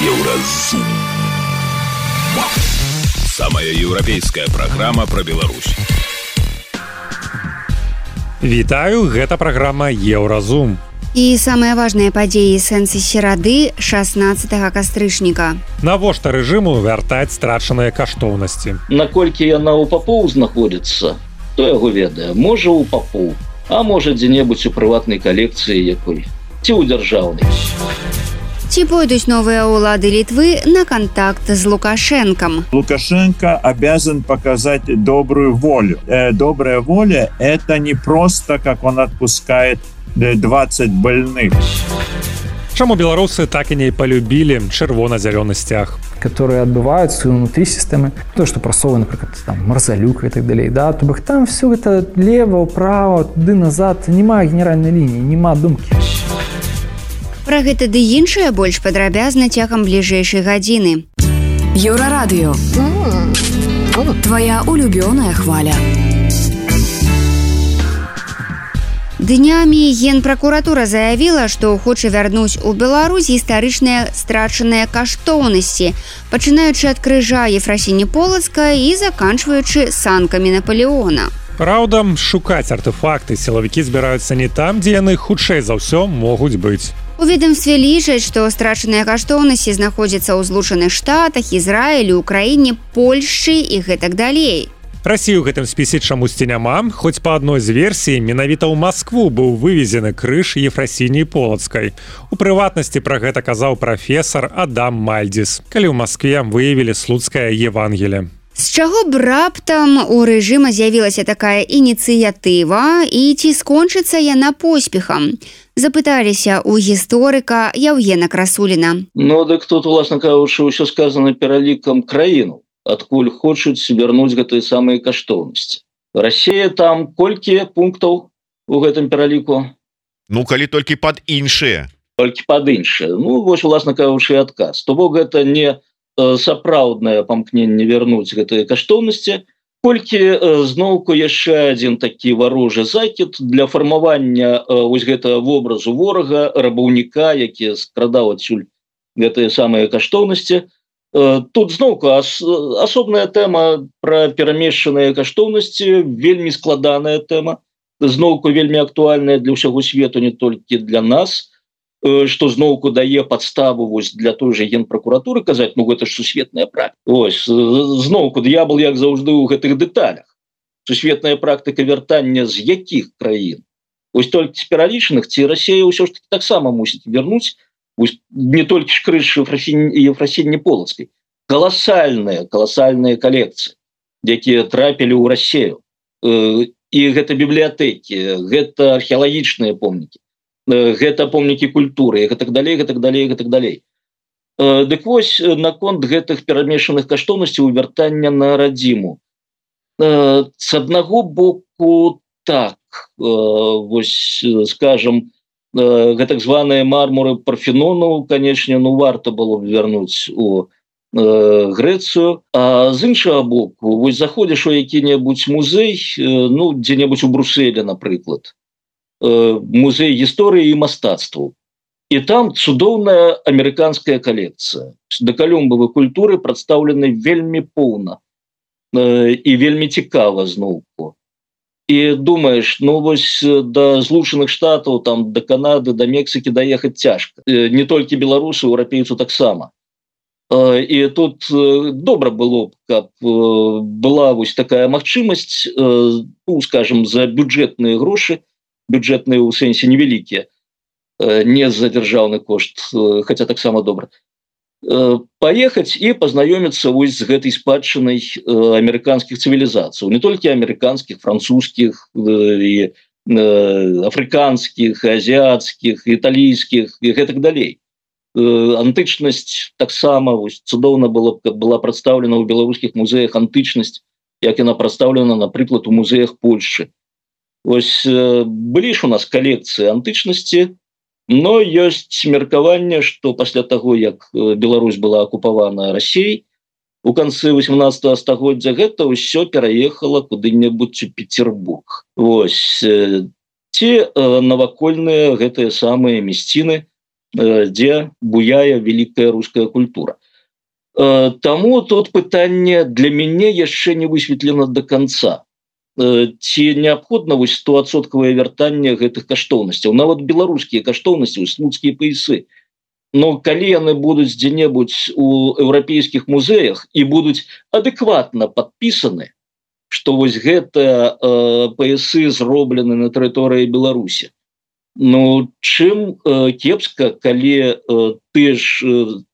Еўразум. Самая еўрапейская праграма пра Беларусь. Вітаю, гэта праграма Еўразум. І самыя важныя падзеі сэнсы серады 16 кастрычніка. Навошта рэжыму вяртаць страчаныя каштоўнасці? Наколькі яна ў папоў знаходзіцца, то яго ведае. Можа ў папоў, а можа дзе-небудзь у прыватнай калекцыі якой, ці ў дзяржаўнай. Ці пойдуць новыя улады Литвы на контакт с Лукашенком? Лукашенко обязан показать добрую волю. Добрая воля – это не просто, как он отпускает 20 больных. Чаму беларусы так и не полюбили чырвона-зялёны сцяг? Которые отбываются внутри системы. То, что просовано, например, там, Марзалюк и так далее. Да? То бок там все это лево, право, туды, назад. Нема генеральной линии, нема думки. Пра гэта ды іншае больш падрабязна цягам бліжэйшай гадзіны. Еўрарадыё. Твоя улюбёная хваля. Днямі Генпракуратура заявіла, што хоча вярнуць у Беларусь гістарычныя страчаныя каштоўнасці, пачынаючы ад крыжа Ефрасіні Полацка і заканчваючы санкамі Наполеона. Праўда, шукаць артефакты сілавікі збіраюцца не там, дзе яны хутчэй за ўсё могуць быць. У ведомстве лічаць, што страчаныя каштоўнасці знаходзяцца ў Злучаных Штатах, Ізраілі, Украіне, Польшчы і гэтак далей. Расіі ў гэтым спісе чамусьці няма, хоць па адной з версій менавіта ў Маскву быў вывезены крыж Ефрасініі Полацкай. У прыватнасці пра гэта казаў прафесар Адам Мальдзіс, калі ў Маскве выявілі слуцкае Евангелие. З чаго б раптам у рэжыма з'явілася такая ініцыятыва і ці скончыцца яна поспехам? Запыталіся ў гісторыка Яўгена Красуліна. Ну, дык тут, уласна кажучы, ўсё сказана пералікам краіну, адкуль хочуць вярнуць гэтыя самыя каштоўнасці. Расія там колькі пунктаў у гэтым пераліку? Ну, калі толькі пад іншыя. Толькі пад іншыя. Ну, вось, уласна кажучы, адказ. То бок гэта не сапраўднае памкненне вярнуць гэтыя каштоўнасці, колькі зноўку яшчэ адзін такі варожы закід для фармавання вось гэтага вобразу ворага, рабаўніка, які скрадаў адсюль гэтыя самыя каштоўнасці. Тут зноўку асобная тэма пра перамешчаныя каштоўнасці, вельмі складаная тэма, зноўку вельмі актуальная для ўсяго свету, не толькі для нас, што зноўку дае падставу вось для той жа Генпракуратуры казаць, ну гэта ж сусветная практыка. Ось, зноўку д'ябал, як заўжды, у гэтых дэталях. Сусветная практыка вяртання з якіх краін? Вось толькі з пералічаных, ці Расія ўсё ж таки таксама мусіць вярнуць не толькі ж крыж Ефрасіні Полацкай. Каласальныя калекцыі, якія трапілі ў Расію. І гэта бібліятэкі, гэта археалагічныя помнікі. Гэта помнікі культуры, гэтак далей. Дык вось, наконт гэтых перамешаных каштоўнасцяў вяртання на радзіму. З аднаго боку, так, вось, скажам, гэтак званыя мармуры Парфенону, канечне, ну, варта было б вярнуць у Грэцыю, а з іншага боку, вось заходзіш у які-небудзь музей, ну, дзе-небудзь у Брусэле, напрыклад, музей гісторыі і мастацтваў. І там цудоўная амерыканская калекцыя. Дакалюмбавай культуры прадстаўлены вельмі поўна і вельмі цікава зноўку. І думаеш, ну вось да Злучаных Штатаў, там, да Канады, да Мексікі даехаць цяжка. Не толькі беларусу, еўрапейцу таксама. І тут добра было б, каб была вось такая магчымасць, ну, скажем, за бюджэтныя грошы, бюджэтныя ў сэнсе невялікія, не за дзяржаўны кошт, хаця таксама добра, паехаць і пазнаёміцца вось з гэтай спадчынай амерыканскіх цывілізацый, не толькі амерыканскіх, французскіх, і афрыканскіх, азіяцкіх, італійскіх і гэтак далей. Антычнасць таксама цудоўна была прадстаўлена ў беларускіх музеях, антычнасць, як яна прадстаўлена, напрыклад, у музеях Польшчы. Вось былі ж у нас калекцыі антычнасці, но ёсць меркаванне, што пасля таго, як Беларусь была акупавана Расіяй, у канцы 18 стагоддзя гэта ўсё пераехала куды-небудзь у Петербург. Вось, ці навакольныя гэтыя самыя мясціны, дзе буяе вялікая руская культура. Таму тут пытанне для мяне яшчэ не высветлена до конца. Ці неабходна 100% вяртанне гэтых каштоўнасцяў, нават беларускія каштоўнасці, слуцкія паясы. Но калі яны будуць дзе-небудзь у еўрапейскіх музеях і будуць адэкватна падпісаны, што вось гэтыя паясы зроблены на тэрыторыі Беларусі. Ну, чым кепска, калі тыя ж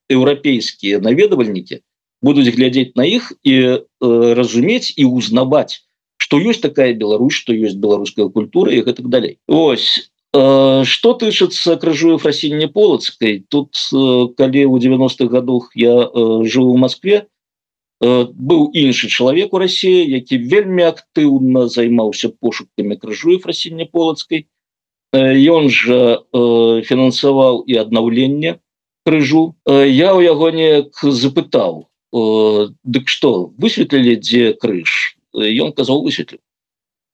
еўрапейскія наведвальнікі будуць глядзець на іх і разумець і узнаваць, што ёсць такая Беларусь, што ёсць беларуская культура і гэтак далей. Ось. Што тычыцца крыжу Ефрасіні Полацкай, тут, калі ў 90-х гадах я жыў у Маскве, быў іншы чалавек у Расіі, які вельмі актыўна займаўся пошукамі крыжу Ефрасіні Полацкай. Ён жа фінансаваў і аднаўленне крыжу. Я ў яго неяк запытаў: дык што, высветлілі, дзе крыж? Ён казаў, высветліў.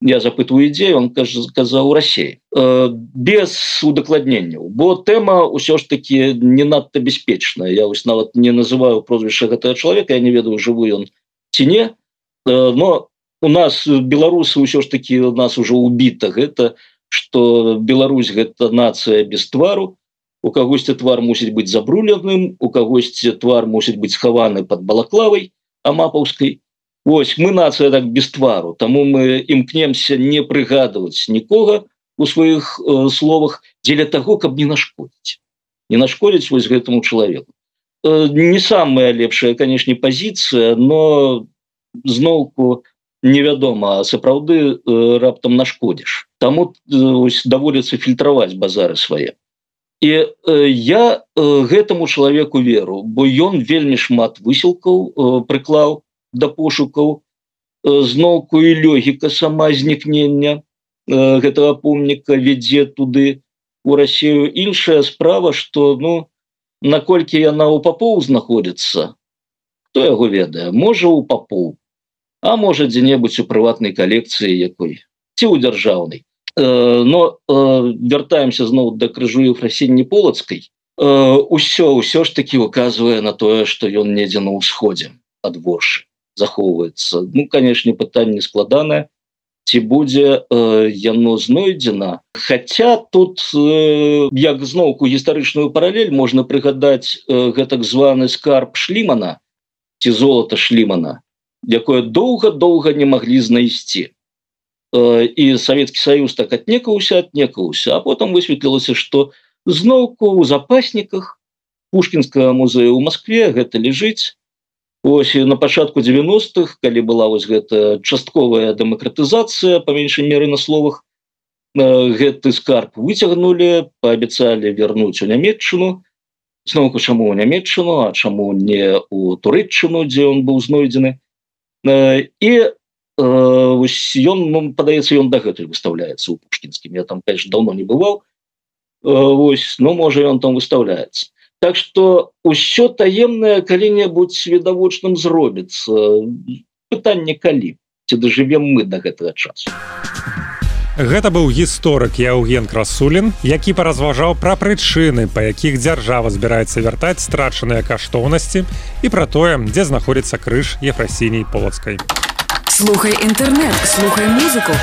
Я запытваю, дзе, ён казаў, Расіі. Без удакладненняў, бо тэма ўсё ж таки не надта бяспечная. Я вось нават не называю прозвішча гэтага чалавека, я не ведаю, жывы ён ці не. Но у нас беларусы ўсё ж таки у нас уже убіта гэта, што Беларусь гэта нацыя без твару. У кагосьці твар мусіць быць забруленым, у кагосьці твар мусіць быць схаваны пад балаклавай амапаўскай. Вось, мы нацыя так без твару, таму мы імкнемся не прыгадваць нікога у сваіх словах дзеля таго, каб не нашкодзіць. Не нашкодзіць вось гэтаму чалавеку. Не самая лепшая, канешне, пазіцыя, но зноўку невядома, сапраўды раптам нашкодзіш. Таму даводзіцца фільтраваць базары свае. І я гэтаму чалавеку веру, бо ён вельмі шмат высілкаў прыклаў да пошукаў, зноўку і логіка сама знікнення гэтага помніка вядзе туды, у Расію. Іншая справа, што, ну, наколькі яна ў папоў знаходзіцца, хто яго ведае? Можа, у папоў, а можа, дзе-небудзь у прыватнай калекцыі якой, ці ў дзяржаўнай. Но вяртаемся зноў да крыжу Ефрасіні Полацкай. Усё ж таки указвае на тое, што ён недзе на ўсходзе ад Воршы захоўваецца. Ну, канешне, пытанне складанае, ці будзе яно знойдзена. Хаця тут, як зноўку гістарычную паралель, можна прыгадаць гэтак званы скарб Шлімана, ці золата Шлімана, якое доўга-доўга не маглі знайсці. І Савецкі Саюз так аднекаўся, а потым высветлілася, што зноўку ў запасніках Пушкінскага музея ў Маскве гэта ляжыць. Ось на пачатку 90-х, калі была вось гэта частковая дэмакратызацыя, па меншай меры на словах, гэты скарб выцягнулі, паабяцалі вярнуць у Нямецчыну. Зноўку, чаму ў Нямецчыну, а чаму не ў Турэччыну, дзе ён быў знойдзены. І вось ён, падаецца, ён дагэтуль выстаўляецца ў Пушкінскім. Я там, конечно, даўно не бываў. Вось, ну, можа, ён там выстаўляецца. Так што ўсё таемнае калі-небудзь відавочным зробіцца. Пытанне калі, ці дажывем мы да гэтага часу. Гэта быў гісторык Яўген Красулін, які паразважаў пра прычыны, па якіх дзяржава збіраецца вяртаць страчаныя каштоўнасці, і пра тое, дзе знаходзіцца крыж Ефрасіні Полацкай. Слухай інтэрнэт, слухай музыку.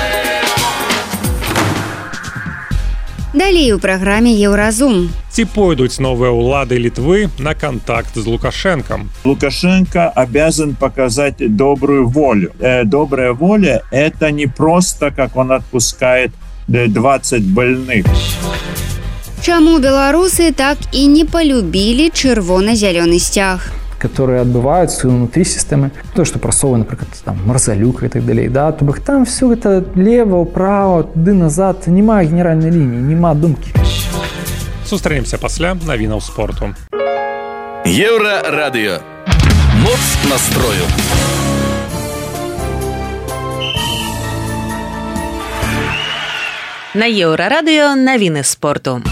Далей у праграме Еўразум. Ці пойдуць новыя ўлады Літвы на контакт з Лукашенком? Лукашенко обязан показать добрую волю. Добрая воля – это не просто, как он отпускает 20 больных. Чаму беларусы так і не полюбілі чырвона-зялёны сцяг? Которые отбываются внутри системы, то, что просовано, например, там, Марзалюк и так далее, да, то бок там все это лево, право, туды, назад, нема генеральной линии, нема думки. Сустрэнемся пасля навінаў спорту. Еўрарадыё. Моц настрою. На Еўрарадыё навіны спорту.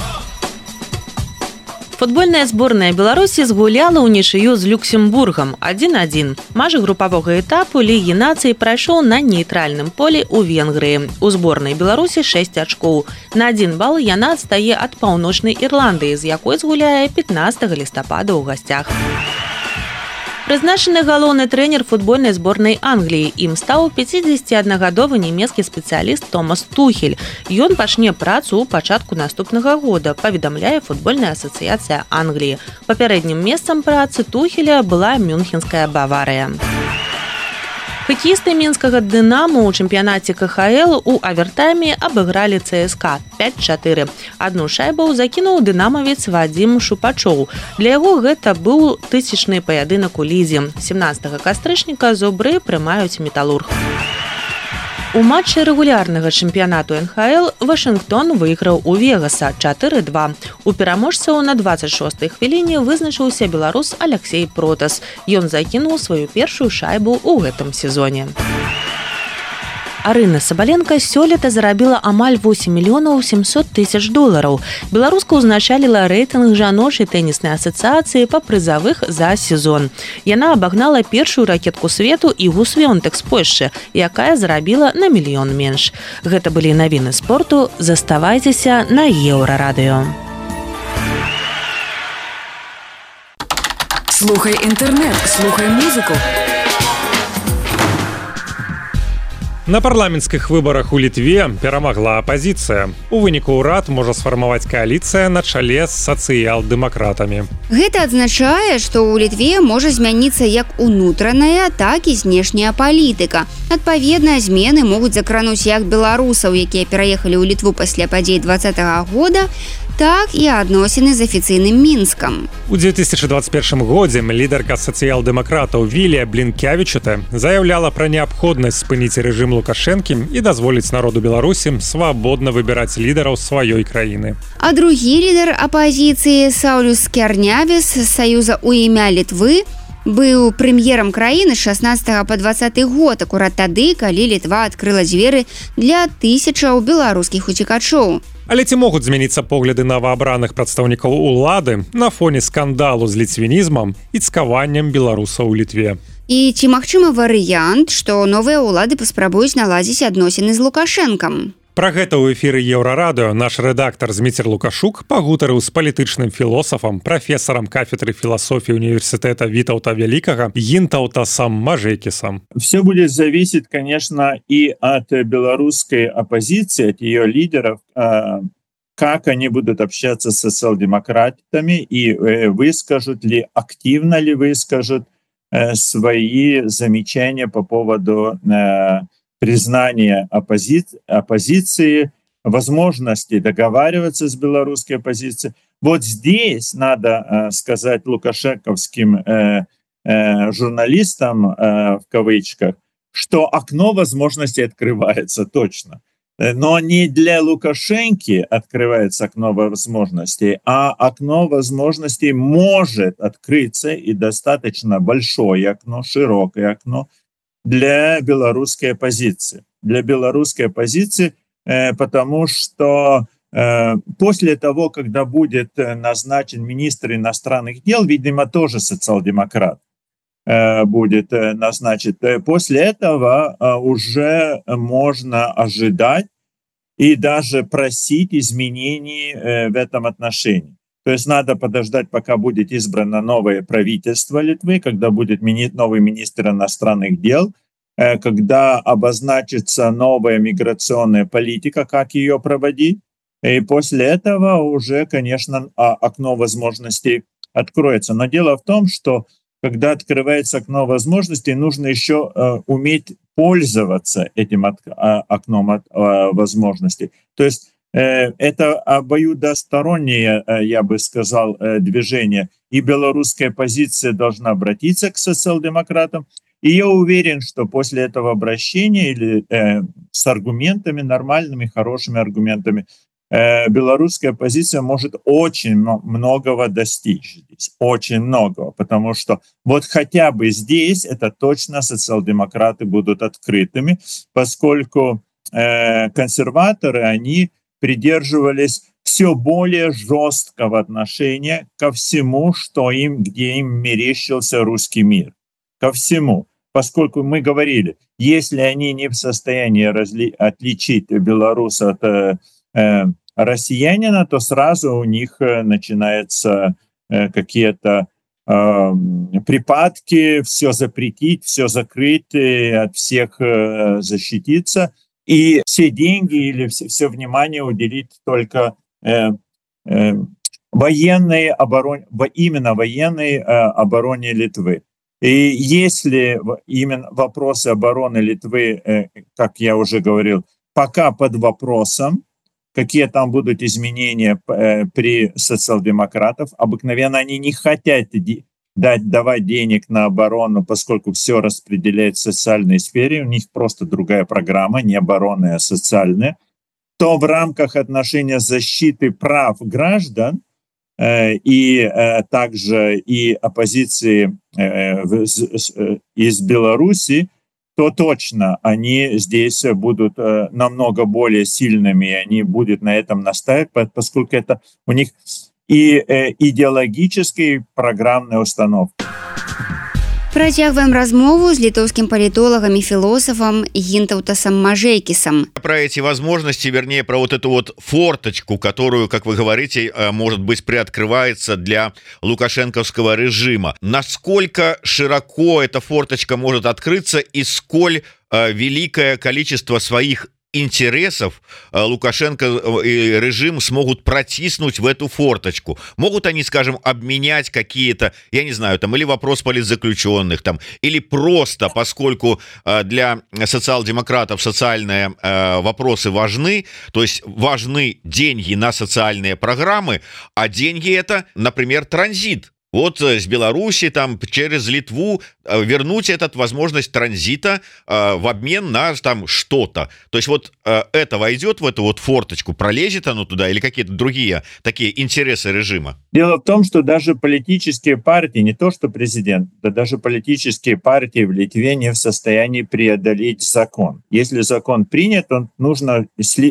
Футбольная зборная Беларусі згуляла ўнічыю з Люксембургам 1-1. Матч групавога этапу Лігі нацый прайшоў на нейтральным полі ў Венгрыі. У зборнай Беларусі 6 ачкоў. На 1 бал яна адстае ад Паўночнай Ірландыі, з якой згуляе 15 лістапада ў гасцях. Прызначаны галоўны трэнер футбольнай зборнай Англіі. Ім стаў 51гадовы нямецкі спецыяліст Томас Тухель. Ён пачне працу ў пачатку наступнага года, паведамляе футбольная асацыяцыя Англіі. Папярэднім месцам працы Тухеля была Мюнхенская Баварыя. Хакеісты мінскага «Дынама» ў чэмпіянаце КХЛ у авертайме абыгралі ЦСКА 5-4. Адну шайбу закінуў дынамавец Вадзім Шупачоў. Для яго гэта быў тысячны паядынак у лізе. 17 кастрычніка зубры прымаюць Металург. У матчы рэгулярнага чэмпіянату НХЛ Вашынгтон выйграў у Вегаса 4-2. У пераможцаў на 26-й хвіліне вызначыўся беларус Аляксей Протас. Ён закінуў сваю першую шайбу ў гэтым сезоне. Арына Сабаленка сёлета зарабіла амаль 8 мільёнаў 700 тысяч долараў. Беларуска ўзначаліла рэйтынг жаночай тэніснай асацыяцыі па прызавых за сезон. Яна абагнала першую ракетку свету Ігу Свёнтек з Польшчы, якая зарабіла на мільён менш. Гэта былі навіны спорту. Заставайцеся на Еўрарадыё. Слухай інтэрнэт, слухай музыку. На парламенцкіх выбарах у Літве перамагла апазіцыя. У выніку ўрад можа сфармаваць кааліцыя на чале з сацыял-дэмакратамі. Гэта адзначае, што ў Літве можа змяніцца як унутраная, так і знешняя палітыка. Адпаведна, змены могуць закрануць як беларусаў, якія пераехалі ў Літву пасля падзей 2020 года, так і адносіны з афіцыйным Мінскам. У 2021 годзе лідарка сацыял-дэмакратаў Вілія Блінкявічута заяўляла пра неабходнасць спыніць рэжым Лукашэнкі і дазволіць народу Беларусі свабодна выбіраць лідараў сваёй краіны. А другі лідар апазіцыі Саўлюс Скярнявіс з Саюза ў імя Літвы быў прэм'ерам краіны з 16 па 20 год, акурат тады, калі Літва адкрыла дзверы для тысячаў беларускіх уцекачоў. Але ці могуць змяніцца погляды новаабраных прадстаўнікаў улады на фоне скандалу з ліцвінізмам і цкаваннем беларусаў у Літве? І ці магчымы варыянт, што новыя ўлады паспрабуюць наладзіць адносіны з Лукашэнкам? Пра гэта ў эфіры Еўрарадыё наш рэдактар Зміцер Лукашук пагутарыў з палітычным філосафам, прафесарам кафедры філасофіі універсітэта Вітаўта Вялікага Гінтаўтасам Мажэкісам. Все будет зависеть, конечно, и от белорусской оппозиции, от ее лидеров, как они будут общаться с социал-демократами и выскажут ли, активно ли выскажут свои замечания по поводу признания оппозиции, возможности договариваться с белорусской оппозицией. Вот здесь надо сказать лукашенковским журналистам, в кавычках, что окно возможностей открывается точно. Но не для Лукашенки открывается окно возможностей, а окно возможностей может открыться, и достаточно большое окно, широкое окно, для белорусской оппозиции. Для белорусской оппозиции, потому что после того, когда будет назначен министр иностранных дел, видимо, тоже социал-демократ будет назначен, после этого уже можно ожидать и даже просить изменений в этом отношении. То есть надо подождать, пока будет избрано новое правительство Литвы, когда будет новый министр иностранных дел, когда обозначится новая миграционная политика, как ее проводить. И после этого уже, конечно, окно возможностей откроется. Но дело в том, что когда открывается окно возможностей, нужно еще уметь пользоваться этим окном возможностей. То есть это обоюдостороннее, я бы сказал, движение. И белорусская оппозиция должна обратиться к социал-демократам. И я уверен, что после этого обращения или с аргументами, нормальными, хорошими аргументами, белорусская оппозиция может очень многого достичь здесь, очень многого, потому что вот хотя бы здесь это точно социал-демократы будут открытыми, поскольку консерваторы, они придерживались все более жесткого отношения ко всему, где им мерещился русский мир. Ко всему. Поскольку мы говорили, если они не в состоянии отличить белоруса от россиянина, то сразу у них начинаются какие-то припадки, все запретить, все закрыть, от всех защититься, и все деньги или все внимание уделить только военной обороне, именно военной обороне Литвы. И если именно вопросы обороны Литвы, как я уже говорил, пока под вопросом, какие там будут изменения при социал-демократах, обыкновенно они не хотят давать денег на оборону, поскольку все распределяет в социальной сфере, у них просто другая программа, не оборонная, а социальная, то в рамках отношения защиты прав граждан и также и оппозиции из Беларуси, то точно они здесь будут намного более сильными, и они будут на этом настаивать, поскольку это у них и идеологическая, и программная установка. Працягваем размову с литовским политологом и философом Гинтаутасом Мажейкисом. Про эти возможности, вернее, про вот эту вот форточку, которую, как вы говорите, может быть, приоткрывается для лукашенковского режима. Насколько широко эта форточка может открыться и сколь великое количество своих интересов Лукашенко и режим смогут протиснуть в эту форточку? Могут они, скажем, обменять какие-то, я не знаю, там, или вопрос политзаключенных, там, или просто, поскольку для социал-демократов социальные вопросы важны, то есть важны деньги на социальные программы, а деньги это, например, транзит. Вот с Беларуси там через Литву вернуть эту возможность транзита в обмен на там что-то. То есть вот это войдет в эту вот форточку, пролезет оно туда или какие-то другие такие интересы режима? Дело в том, что даже политические партии, не то что президент, да даже политические партии в Литве не в состоянии преодолеть закон. Если закон принят, то нужно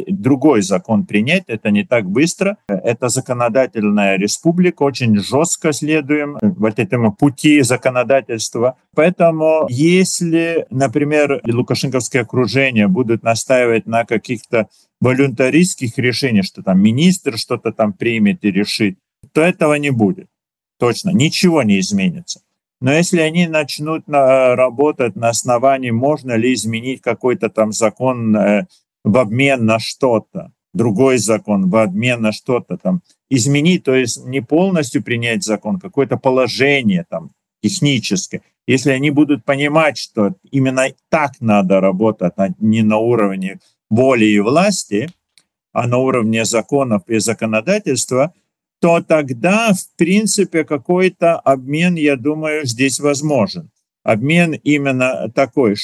другой закон принять, это не так быстро. Это законодательная республика, очень жестко следует вот этому пути законодательства. Поэтому если, например, лукашенковское окружение будут настаивать на каких-то волюнтаристских решениях, что там министр что-то там примет и решит, то этого не будет. Точно, ничего не изменится. Но если они начнут работать на основании, можно ли изменить какой-то там закон в обмен на что-то, другой закон в обмен на что-то там, изменить, то есть не полностью принять закон, какое-то положение там техническое. Если они будут понимать, что именно так надо работать, а не на уровне воли и власти, а на уровне законов и законодательства, то тогда, в принципе, какой-то обмен, я думаю, здесь возможен. Обмен именно такой,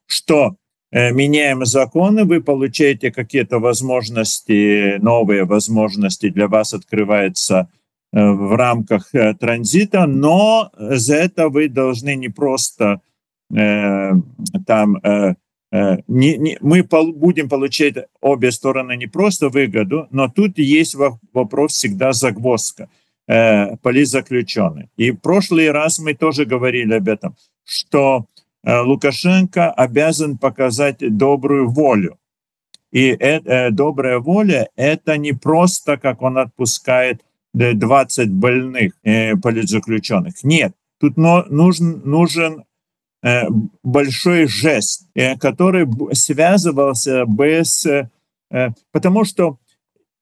что меняем законы, вы получаете какие-то возможности, новые возможности для вас открываются в рамках транзита, но за это вы должны не просто мы будем получать обе стороны не просто выгоду, но тут есть вопрос всегда загвоздка, политзаключенный. И в прошлый раз мы тоже говорили об этом, что Лукашенко обязан показать добрую волю. И добрая воля — это не просто, как он отпускает 20 больных политзаключенных. Нет, тут нужен большой жест, который связывался бы с... Потому что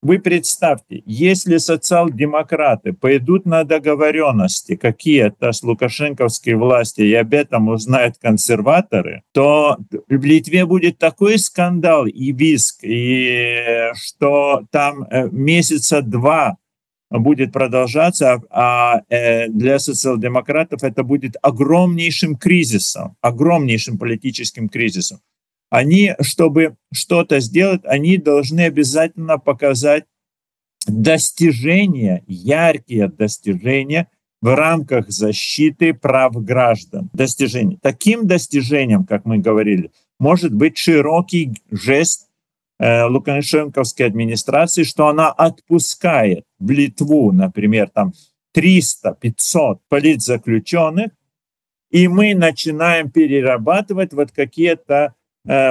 вы представьте, если социал-демократы пойдут на договоренности какие-то с лукашенковской властью, и об этом узнают консерваторы, то в Литве будет такой скандал и визг, и что там месяца 2 будет продолжаться, а для социал-демократов это будет огромнейшим кризисом, огромнейшим политическим кризисом. Они, чтобы что-то сделать, они должны обязательно показать достижения, яркие достижения в рамках защиты прав граждан. Достижения. Таким достижением, как мы говорили, может быть широкий жест лукашенковской администрации, что она отпускает в Литву, например, там 300-500 политзаключенных, и мы начинаем перерабатывать вот какие-то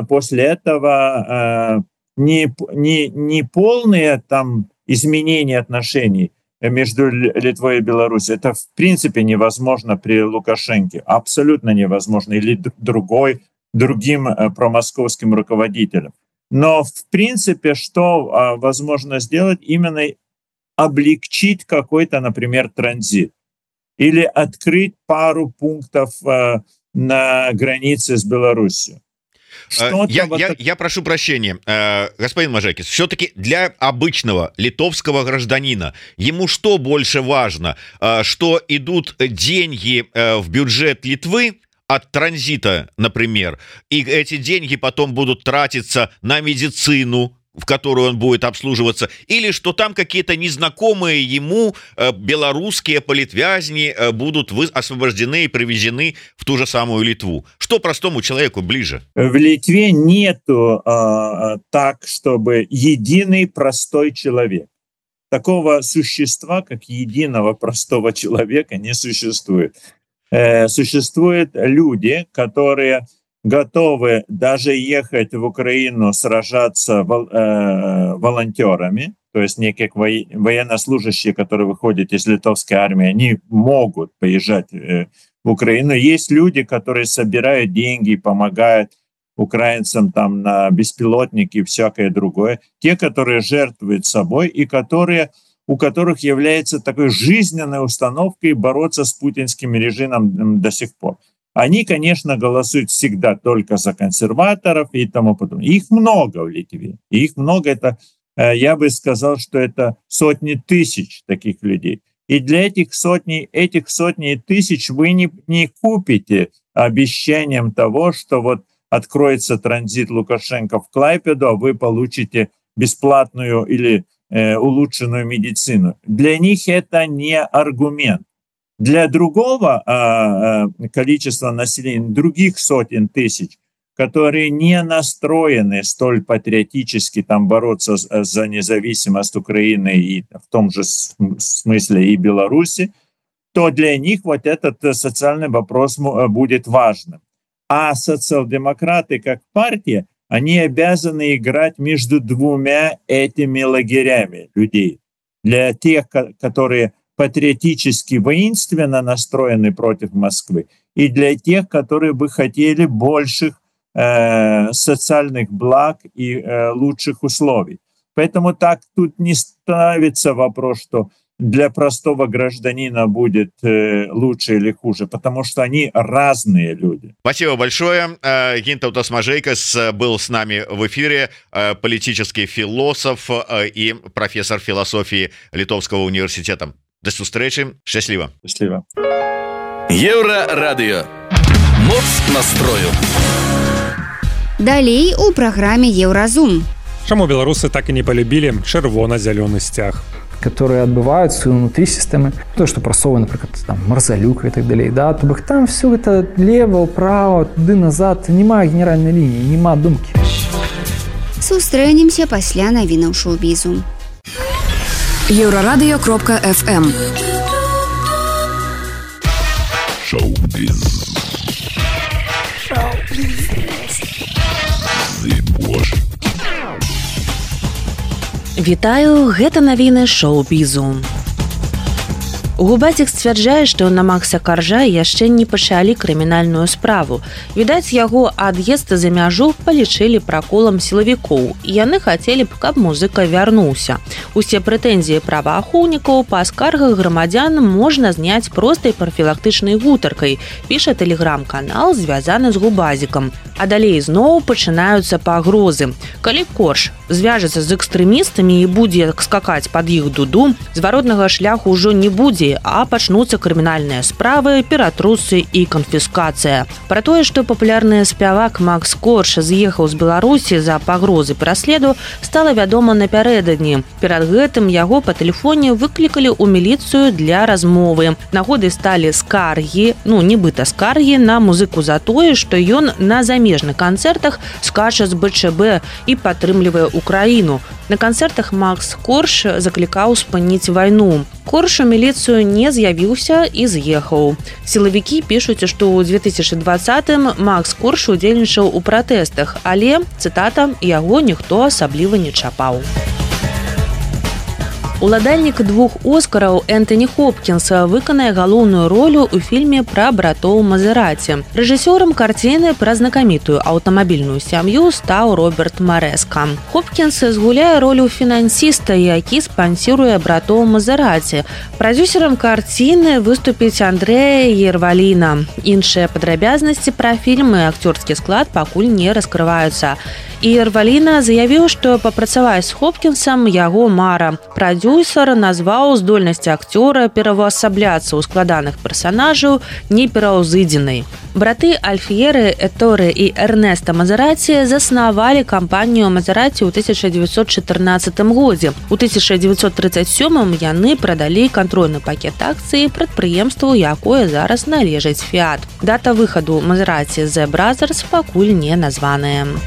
после этого не полные там изменения отношений между Литвой и Беларусью. Это в принципе невозможно при Лукашенке, абсолютно невозможно, или другим промосковским руководителям. Но в принципе, что возможно сделать, именно облегчить какой-то, например, транзит или открыть пару пунктов на границе с Беларусью. Я прошу прощения, господин Мажекис, все-таки для обычного литовского гражданина ему что больше важно, что идут деньги в бюджет Литвы от транзита, например, и эти деньги потом будут тратиться на медицину, в которую он будет обслуживаться, или что там какие-то незнакомые ему белорусские политвязни будут освобождены и привезены в ту же самую Литву. Что простому человеку ближе? В Литве нету так, чтобы единый простой человек. Такого существа, как единого простого человека, не существует. Существуют люди, которые готовы даже ехать в Украину сражаться волонтерами, то есть некие военнослужащие, которые выходят из литовской армии, они могут поезжать в Украину. Есть люди, которые собирают деньги, помогают украинцам там на беспилотники и всякое другое. Те, которые жертвуют собой и у которых является такой жизненной установкой бороться с путинским режимом до сих пор. Они, конечно, голосуют всегда только за консерваторов и тому подобное. Их много в Литве. Их много. Это, я бы сказал, что это сотни тысяч таких людей. И для этих сотни тысяч вы не купите обещанием того, что вот откроется транзит Лукашенко в Клайпеду, а вы получите бесплатную или улучшенную медицину. Для них это не аргумент. Для другого количества населения, других сотен тысяч, которые не настроены столь патриотически там бороться за независимость Украины и в том же смысле и Беларуси, то для них вот этот социальный вопрос будет важным. А социал-демократы как партия, они обязаны играть между двумя этими лагерями людей. Для тех, которые патриотически воинственно настроены против Москвы, и для тех, которые бы хотели больших социальных благ и лучших условий. Поэтому так тут не ставится вопрос, что для простого гражданина будет лучше или хуже, потому что они разные люди. Спасибо большое. Гинтаутас Мажейкас был с нами в эфире, политический философ и профессор философии Литовского университета. До встречи. Счастливо. Счастливо. Еўрарадыё. Моц настрою. Далей у праграме Еўразум. Чаму беларусы так и не полюбили чырвона-зялёны сцяг? Которые отбываются внутри системы, то, что просовано, например, там, Марзалюка и так далее, да, то бок там все это лево, право, туды назад, нема генеральной линии, нема думки. Сустрэнемся пасля навінаў шоу-бізу. Еўрарадыё.фм Шоу-біз. Вітаю, гэта навіны шоу-бізу. Губацік сцвярджае, што на Макса Каржа яшчэ не пачалі крымінальную справу. Відаць, яго ад'езд за мяжу палічылі праколам сілавікоў, і яны хацелі б, каб музыка вярнуўся. Усе прэтэнзіі праваахоўнікаў па скаргах грамадзян можна зняць простай прафілактычнай гутаркай, піша тэлеграм-канал, звязаны з Губазікам. А далей зноў пачынаюцца пагрозы. Калі Корж звяжацца з экстрэмістамі і будзе скакаць пад іх дуду, зваротнага шляху ўжо не будзе, Беларусі, а пачнуцца крымінальныя справы, ператрусы і канфіскацыя. Пра тое, што папулярны спявак Макс Корж з'ехаў з Беларусі за пагрозы пераследу, стала вядома напярэдадні. Перад гэтым яго па тэлефоне выклікалі ў міліцыю для размовы. Нагодай сталі скаргі, нібыта скаргі на музыку за тое, што ён на замежных канцэртах скача з БЧБ і падтрымлівае Украіну. На канцэртах Макс Корж заклікаў спыніць вайну. Корж у міліцыю не з'явіўся і з'ехаў. Сілавікі пішуць, што ў 2020-м Макс Корж удзельнічаў у пратэстах, але, цытата, яго ніхто асабліва не чапаў. Уладальнік 2 Оскараў Энтоні Хопкінс выканае галоўную ролю ў фільме пра братоў Мазераці. Рэжысёрам карціны пра знакамітую аўтамабільную сям'ю стаў Роберт Марэска. Хопкінс згуляе ролю фінансіста, які спансіруе братоў Мазераці. Прадзюсерам карціны выступіць Андрэя Ерваліна. Іншыя падрабязнасці пра фільм і акцёрскі склад пакуль не раскрываюцца. І Ерваліна заявіў, што папрацаваць з Хопкінсам яго мара. Прадзюсер назваў здольнасці акцёра пераўвасабляцца ў складаных персанажаў непераўзыдзенай. Браты Альфьеры, Эторе і Эрнеста Мазераці заснавалі кампанію Мазераці ў 1914 годзе. У 1937 яны прадалі кантрольны пакет акцый прадпрыемству, якое зараз належыць Фіат. Дата выхаду Мазераці The Brothers пакуль не названая.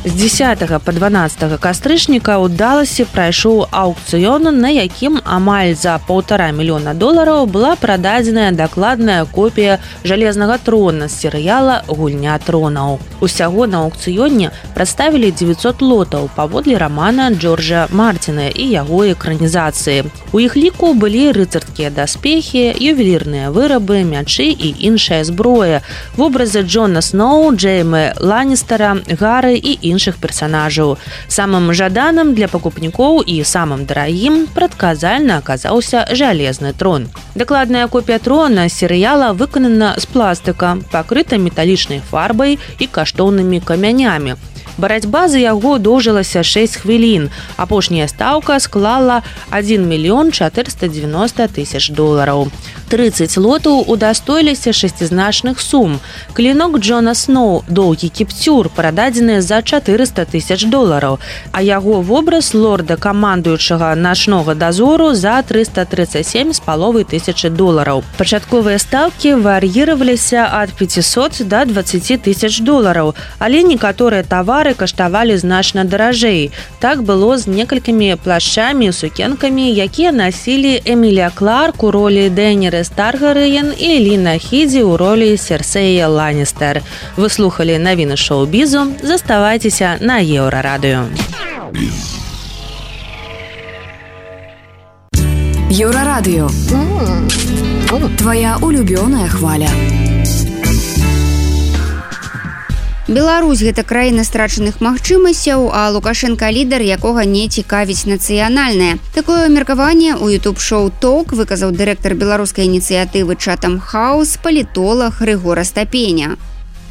З 10 па 12 кастрычніка ў Даласе прайшоў аўкцыён, на якім амаль за $1,5 мільёна была прададзеная дакладная копія жалезнага трона з серыяла «Гульня тронаў». Усяго на аўкцыёне прадставілі 900 лотаў паводле рамана Джорджа Мартина і яго экранізацыі. У іх ліку былі рыцарскія даспехі, ювелірныя вырабы, мячы і іншая зброя, вобразы Джона Сноу, Джеймы Ланністера, Гары і іншых персонажаў. Самым жаданым для пакупнікоў і самым дарагім прадказальна аказаўся жалезны трон. Дакладная копія трона серыяла выканана з пластыка, пакрыта металічнай фарбай і каштоўнымі камянямі. Барацьба за яго доўжылася 6 хвілін. Апошняя стаўка склала $1 490 000. 30 лотаў удастоіліся шасцізначных сум. Клінок Джона Сноу, доўгі кіпцюр, прададзены за $400 000, а яго вобраз лорда-камандуючага начнога дазору за $337,5 000. Пачатковыя стаўкі вар'іраваліся ад $500 до $20 000, але некаторыя тавары каштавалі значна даражэй. Так было з некалькімі плашчамі і сукенкамі, якія насілі Эмілія Кларк у ролі Дейнерис Таргарыен і Ліна Хідзі ў ролі Серсея Ланністер. Вы слухалі навіны шоу-бізу. Заставайцеся на Еўрарадыё. Еўрарадыё. Твоя улюбёная хваля. Беларусь – гэта краіна страчаных магчымасцяў, а Лукашенко – лідар, якога не цікавіць нацыянальнае. Такое меркаванне ў YouTube-шоу «Ток» выказаў дырэктар беларускай ініцыятывы «Чатам Хаус» палітолог Рыгор Астапеня.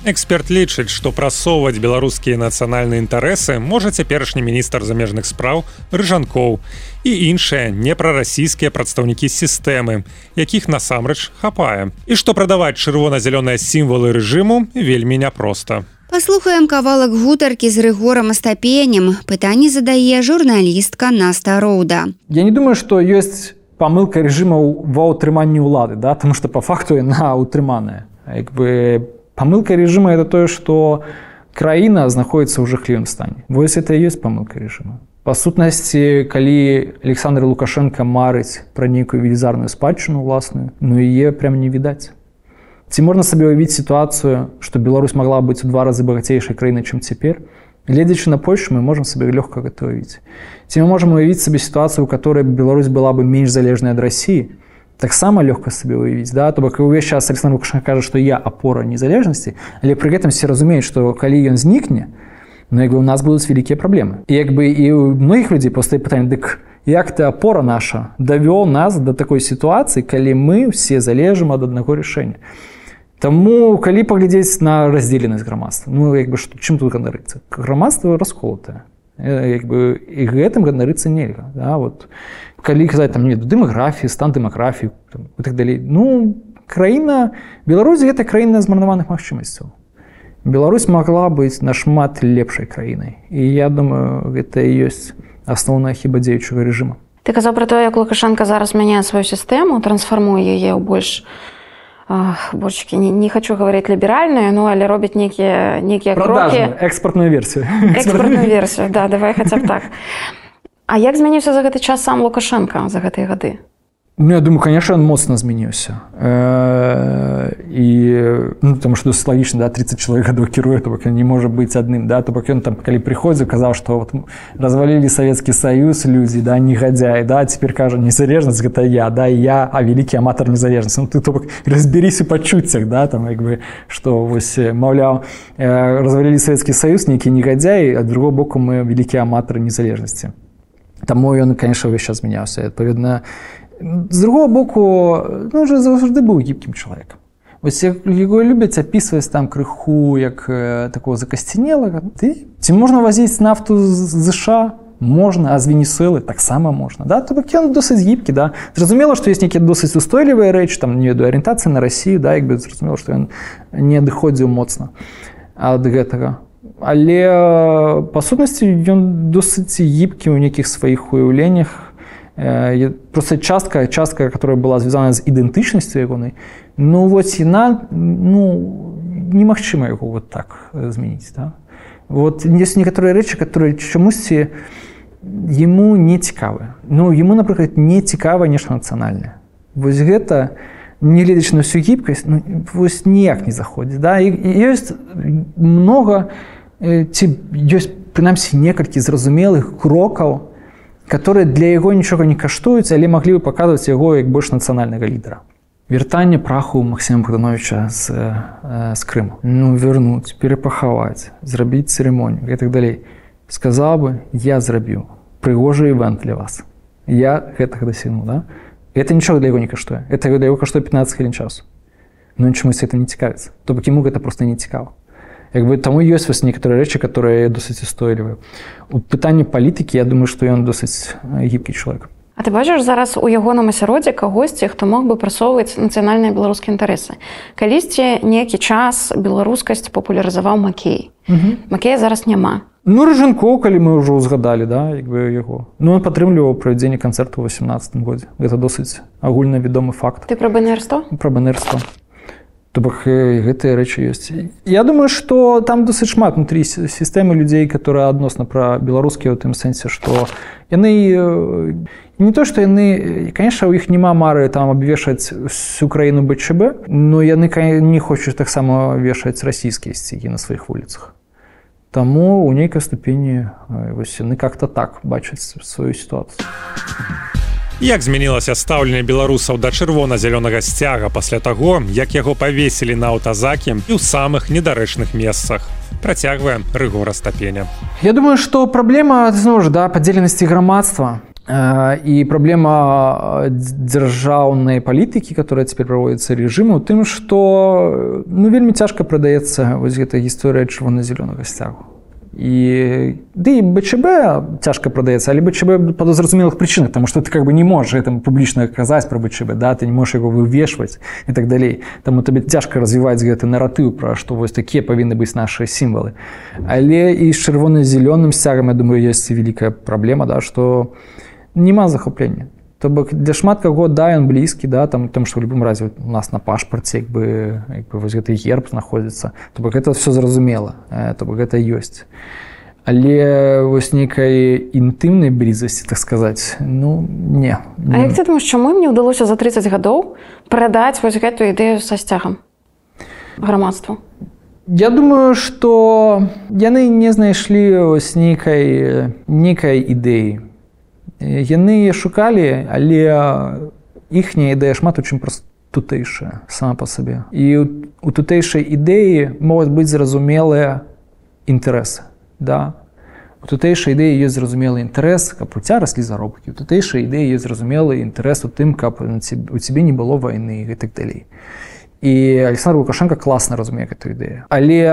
Эксперт лічыць, што прасоўваць беларускія нацыянальныя інтарэсы можа цяперашні міністр замежных спраў Рыжанкоў і іншыя непрарасійскія прадстаўнікі сістэмы, якіх насамрэч хапае. І што прадаваць чырвона-зялёныя сімвалы рэжыму вельмі няпроста. Паслухаем кавалак гутаркі з Рыгорам Астапенем. Пытанне задае журналістка Наста Роуда. Я не думаю, што ёсць памылка рэжымаў ва ўтрыманні ўлады, да? Таму што па факту яна ўтрыманая. Памылка рэжыма – это тое, што краіна знаходіцца ў жахлівым стане. Вось это і ёсць памылка рэжыма. Па сутнасці, калі Александр Лукашенко марыць пра нейкую велізарную спадчыну ўласную, яе прям не відаць. Ці можна сабе уявіць сітуацыю, што Беларусь магла быць у 2 разы багацейшай краінай, чым цяпер? Гледзячы на Польшу, мы можам сабе лёгка гэта ўявіць. Ці мы можам уявіць сабе сітуацыю, у которой Беларусь была бы менш залежнай ад Расіі? Таксама лёгка сабе ўявіць, да? То бок увесь час Александр Лукашенко кажа, што я апора незалежнасці, але пры гэтым все разумеюць, што калі ён знікне, у нас будуць вялікія праблемы. І у многіх людзей пастае пытанне, дык як ты апора наша давёў нас да такой сітуацыі, калі мы ўсе залежым ад аднаго рашэння. Таму, калі паглядзець на раздзеленасць грамадства, чым тут ганарыцца? Грамадства расколатае. як бы і гэтым ганарыцца нельга, да, вот калі казаць там дэмаграфіі, стан дэмаграфіі і так далей. Ну, краіна Беларусь гэта краіна змарнаваных магчымасцяў. Беларусь могла быць нашмат лепшай краінай. І я думаю, гэта і ёсць асноўная хіба дзеючага рэжыма. Ты казаў пра тое, як Лукашенко зараз мяняе сваю сістэму, трансфармуе яе ў больш не хочу говорить либеральную, но але робіць некія крокі. Экспортную версію. Экспортную версію, да, давай хаця б так. А як змяніўся за гэты час сам Лукашенко за гэтыя гады? Ну, я думаю, конечно, он моцна змяніўся. Потому что досыць лагічна, да, 30 чалавек гадоў кіруе, то бок ён не можа быць адным, да, то бок ён там, калі прыходзіў, казаў, што вот развалілі Савецкі Саюз людзі, да, негодяи, да, цяпер кажа, незалежнасць гэта я, да, і я, а вялікі аматар незалежнасці. Ну, ты, то бок, разберись у пачуццях, да, там, як бы, што, вось, маўляў, развалілі Савецкі Саюз, нейкі негодяи, а другого боку мы вялікія аматары незалежнасці. Таму ён, конечно, увесь час змяняўся. Адпаведна, з другого боку, ну, уже заўжды быў гібкім чалавекам. Вось яго любяць апісваць там крыху як такого закасцінелага. Ці можна вазіць нафту з США? Можна, а з Венесуэлы таксама можна. Да? То бок ён досыць гібкі, да? Зразумела, што ёсць нейкія досыць устойлівыя рэчы, там, не ведаю, арыентацыя на Расію, да? Як бы зразумела, што ён не адыходзіў моцна ад гэтага. Але, па сутнасці, ён досыць гібкі ў нейкіх сваіх уяўленнях. Просто частка, которая была звязана з ідэнтычнасцю ягонай, ну, вот яна, ну, немагчыма яго вот так змяніць, да? Вот ёсць некаторыя рэчы, которые чамусьці яму не цікавыя. Ну, яму, напрыклад, не цікава нешта нацыянальнае. Вось гэта, негледзячы на всю гібкасць, ну, вось ніяк не заходзіць, да? І ёсць многа, ці ёсць, прынамсі, некалькі зразумелых крокаў, которые для яго нічога не каштуюць, але маглі бы паказваць яго як больш нацыянальнага лідара. Вяртанне праху Максіма Богдановича з Крыму. Ну, вярнуць, перапахаваць, зрабіць цырымонію і так далей. Сказаў бы, я зрабіў прыгожы івент для вас. Я гэтага дасягнуў, да? Это нічога для яго не каштуе. Это для яго каштуе 15 хвілін часу. Но чамусь это не цікавіцца. То бок яму гэта проста не цікава. Як бы таму ёсць вось некаторыя рэчы, которые досыць устойлівыя. У пытанні палітыкі, я думаю, што ён досыць гібкі чалавек. А ты бачыш зараз у ягоным асяроддзі кагосьці, хто мог бы прасоўваць нацыянальныя беларускія інтарэсы? Калісьці нейкі час беларускасць папулярызаваў Макей. Макея зараз няма. Ну, Рыжанкоў, калі мы ўжо ўзгадалі, да, як бы яго. Ну, ён падтрымліваў правядзенне канцэрту ў 18 годзе. Гэта досыць агульна вядомы факт. Ты пра БНР-100? Пра БНР-100. То бок гэтыя рэчы ёсць. Я думаю, што там досыць шмат внутрі сістэмы людзей, которые адносна пра беларускія ў тым сэнсе, што яны не то, што яны, конечно, у іх няма мары там абвешаць всю краіну БЧБ, но яны не хочуць таксама вешаць расійскія сцягі на сваіх вуліцах. Таму у нейкай ступені вось яны как-то так бачаць сваю сітуацыю. Як змянілася стаўленне беларусаў да чырвона-зялёнага сцяга пасля таго, як яго павесілі на аўтазакі і ў самых недарэчных месцах? Працягвае Рыгор Астапеня. Я думаю, што праблема, зноў ж, да, падзеленасці грамадства і праблема дзяржаўнай палітыкі, которая цяпер праводзіцца рэжыму, у тым, што, ну, вельмі цяжка прадаецца вось гэта гісторыя чырвона-зялёнага сцягу. І БЧБ цяжка прадаецца, але БЧБ па зразумелых прычынах, таму што ты как бы не можаш гэтым публічна казаць пра БЧБ, да, ты не можаш яго вывешваць і так далей. Таму табе цяжка развіваць гэты наратыў пра што вось такія павінны быць нашыя сімвалы. Але і з чырвона-зялёным сцягам, я думаю, ёсць вялікая праблема, да, што няма захаплення. То бок для шмат каго, да, ён блізкі, да, там што ў любым разе у нас на пашпарце як бы вось гэты герб знаходзіцца. То бок гэта все зразумела, то бок гэта ёсць. Але вось нейкай інтымнай блізасці, так сказаць, ну, не. А як ты думаеш, чаму ім не ўдалося за 30 гадоў прадаць вось гэтую ідэю са сцягам грамадству? Я думаю, што яны не знайшлі вось нейкай ідэі. Яны шукалі, але іхняя ідэя шмат у чым проста тутэйшая сама па сабе. І у тутэйшай ідэі могуць быць зразумелыя інтарэсы. Да. У тутэйшай ідэі ёсць зразумелы інтарэс, каб у цябе раслі заробкі. У тутэйшай ідэі ёсць зразумелы інтарэс у тым, каб у цябе не было вайны і так далей. І Александр Лукашенко класна разумее гэту ідэю. Але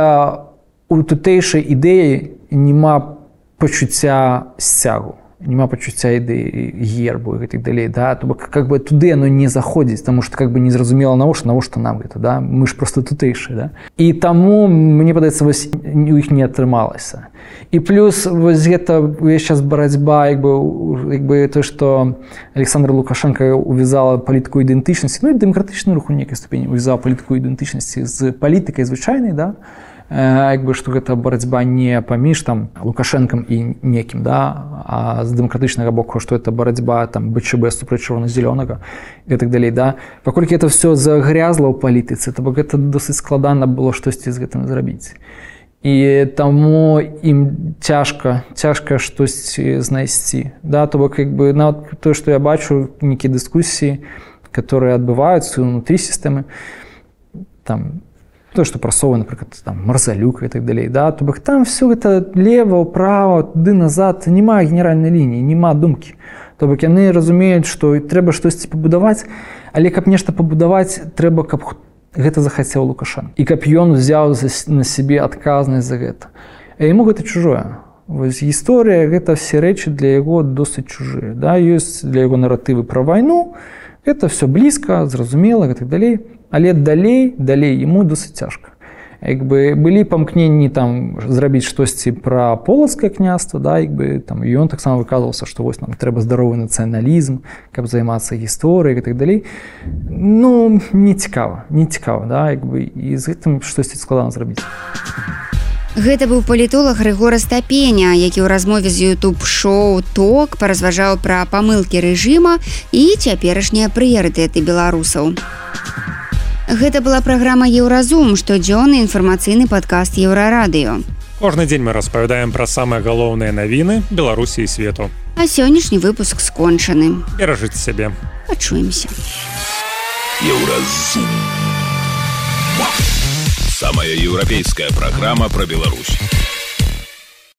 у тутэйшай ідэі няма пачуцця сцягу, няма пачуцця ідэі гербу і так далей, да, то бок как бы туды оно не заходзіць, таму што как бы не зразумела навошта нам гэта, да, мы ж просто тутэйшыя, да. І таму мне падаецца вось у іх не атрымалася. І плюс вось гэта сейчас барацьба як бы то, што Александр Лукашенко увязала палітыку ідэнтычнасці, ну і дэмакратычны рух у нейкай ступені увязала палітыку ідэнтычнасці з палітыкай звычайнай, да. Як бы што гэта барацьба не паміж там Лукашэнкам і некім, да, а з дэмакратычнага боку, што это барацьба там БЧБ супраць чырвона-зелёнага і так далей, да. Паколькі это все загрязла ў палітыцы, то бок гэта досыць складана было штосьці з гэтым зрабіць. І таму ім цяжка штосьці знайсці, да, то бок як бы нават тое, што я бачу нейкія дыскусіі, которые адбываюцца ўнутры сістэмы, там то, што прасовы, напрыклад, там Марзалюк і так далей, да, то бок там все гэта лева, ўправа, туды назад, няма генеральнай лініі, няма думкі. То бок яны разумеюць, што трэба штосьці пабудаваць, але каб нешта пабудаваць, трэба, каб гэта захацеў Лукашенко. І каб ён узяў на сябе адказнасць за гэта. А яму гэта чужое. Вось гісторыя, гэта все рэчы для яго досыць чужыя. Да? Ёсць для яго наратывы пра вайну, гэта все блізка, зразумела і так далей. Але далей яму досыць цяжка. Як бы былі памкненні там зрабіць штосьці пра полацкае княства, да, як бы там ён таксама выказваўся, што вось нам трэба здаровы нацыяналізм, каб займацца гісторыяй і так далей. Ну, не цікава, да, як бы і з гэтым штосьці складана зрабіць. Гэта быў палітолог Грыгор Астапеня, які ў размове з YouTube-шоу «Ток» паразважаў пра памылкі рэжыма і цяперашнія прыярытэты беларусаў. Гэта была праграма «Еўразум», штодзённы інфармацыйны падкаст Еўрарадыё. Кожны дзень мы распавядаем пра самыя галоўныя навіны Беларусі і свету. А сённяшні выпуск скончаны. Беражыце сябе. Пачуемся. Еўразум. Самая еўрапейская праграма пра Беларусь.